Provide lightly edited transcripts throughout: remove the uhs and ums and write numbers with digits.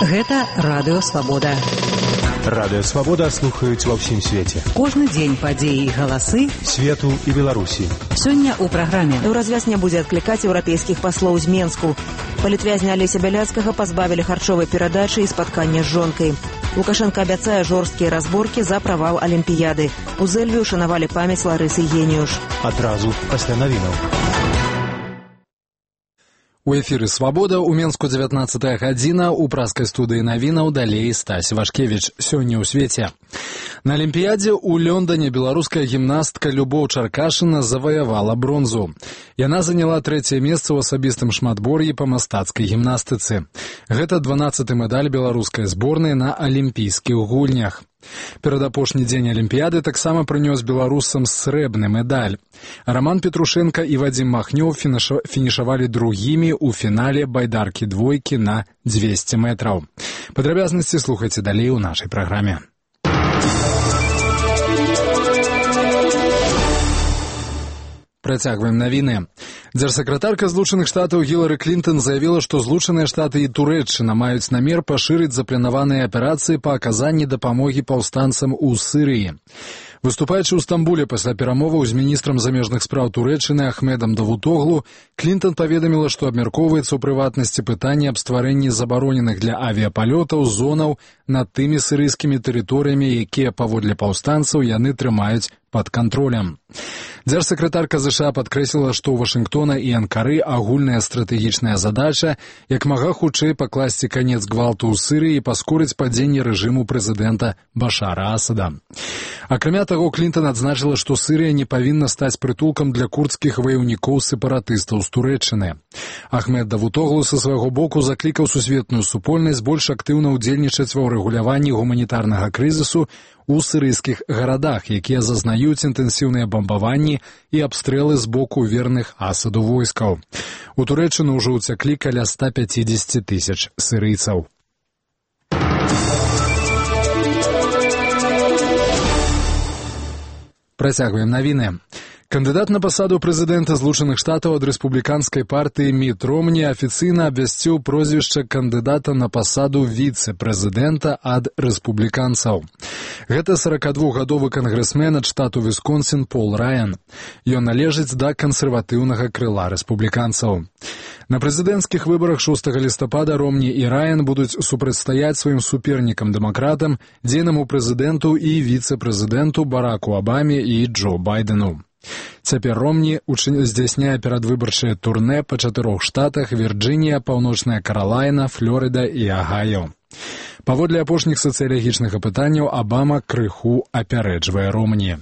Гэта Радыё Свабода. Радыё Свабода слухаюць ва ўсім свеце. Кожны дзень падзеі і галасы свету і Беларусі. Сёння ў праграме. Еўразвяз не будзе адклікаць еўрапейскіх паслоў з Менску. Палітвязня Алеся Бяляцкага пазбавілі харчовай перадачы і спаткання з жонкай. Лукашенко абяцае жорсткія разборкі за правал Алімпіяды. У Зэльве ушанавалі памяць Ларысы Геніюш. Адразу пасля навінаў. У эфіры «Свабода», у Менску 19 гадзіна, у праскай студыі навінаў далей Стась Вашкевіч. Сёння ў свеце. На Алімпіядзе ў Лондоне беларуская гімнастка Любоў Чаркашына заваявала бронзу. Яна заняла 3е месца ў асабістым шматбор'і па мастацкай гімнастыцы. Гэта 12-й медаль беларускай зборнай на алімпійскіх гульнях. Перадапошні дзень Алімпіяды таксама прынёс беларусам срэбны медаль. Роман Петрушенко і Вадзім Махнёў фінішавалі другімі ў фінале байдаркі двойкі на 200 метраў. Падрабязнасці слухайце далей у нашай праграме. Працягваем навіны. Дзяржсакратарка Злучаных Штатаў Гілары Клінтон заявіла, што Злучаныя Штаты і Турэччына маюць намер пашырыць запланаваныя аперацыі па аказанні дапамогі паўстанцам у Сірыі. Выступаючы ў Стамбуле пасля перамоваў з міністрам замежных спраў Турэччыны Ахмедам Давутоглу, Клінтон паведаміла, што абмяркоўваецца ў прыватнасці пытанне аб стварэнні забароненых для авіяпалётаў зонаў над тымі сірыйскімі тэрыторыямі, якія паводле паўстанцаў яны трымаюць пад кантролем. Дзяржсакратарка ЗША падкрэсліла, што ў Вашынгтона і Анкары агульная стратэгічная задача як мага хутчэй пакласці канец гвалту ў Сірыі і паскорыць падзенне рэжыму прэзідэнта Башара Асада. Акрамя таго, Клінтон адзначыла, што Сірыя не павінна стаць прытулкам для курдскіх ваяўнікоў-сепаратыстаў з Турэччыны. Ахмед Давутоглу са свайго боку заклікаў сусветную супольнасць больш актыўна ўдзельнічаць ва ўрэгуляванні гуманітарнага крызісу у сірыйскіх гарадах, якія зазнаюць інтэнсіўныя бамбаванні і абстрэлы з боку верных Асаду войскаў. У Турэччыну ўжо ўцяклі каля 150 тысяч сірыйцаў. Працягваем навіны. Кандыдат на пасаду прэзідэнта Злучаных Штатаў ад рэспубліканскай партыі Міт Ромні афіцыйна абвясціў прозвішча кандыдата на пасаду віцэ-прэзідэнта ад рэспубліканцаў. Гэта 42-гадовы кангрэсмен ад штату Вісконсін Пол Раян. Ён належыць да кансерватыўнага крыла рэспубліканцаў. На прэзідэнцкіх выбарах 6 лістапада Ромні і Раян будуць супрацьстаяць сваім супернікам-дэмакратам, дзейнаму прэзідэнту і віцэ-прэзідэнту Бараку Абаме і Джо Байдену. Цяпер Ромні здзяйсняе перадвыбарчае турнэ па 4 штатах: Вірджынія, Паўночная Каралайна, Флорыда і Агайо. Паводле апошніх сацыялагічных апытанняў Абама крыху апярэджвае Ромні.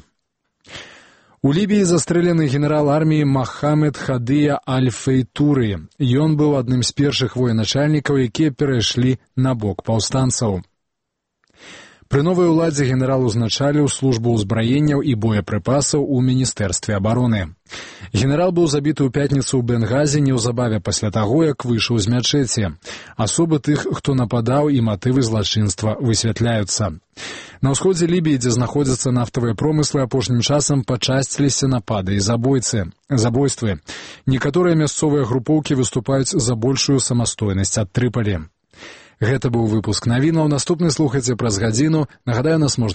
У Лібіі застрэлены генерал арміі Махамед Хадыя Аль-Фейтуры. Ён быў адным з першых военачальнікаў, якія перайшлі на бок паўстанцаў. Пры новай уладзе генерал узначаліў службу ўзбраенняў і боепрыпасаў у Міністэрстве абароны. Генерал быў забіты ў пятніцу ў Бенгазі неўзабаве пасля таго, як выйшаў з мячэці. Асобы тых, хто нападаў, і матывы злачынства высвятляюцца. На ўсходзе Лібіі, дзе знаходзяцца нафтавыя промыслы, апошнім часам пачасціліся напады і забойствы. Некаторыя мясцовыя групоўкі выступаюць за большую самастойнасць ад Трыпалі. Гэта быў выпуск навінаў. Наступны слухайце праз гадзіну. Нагадаю, нас можна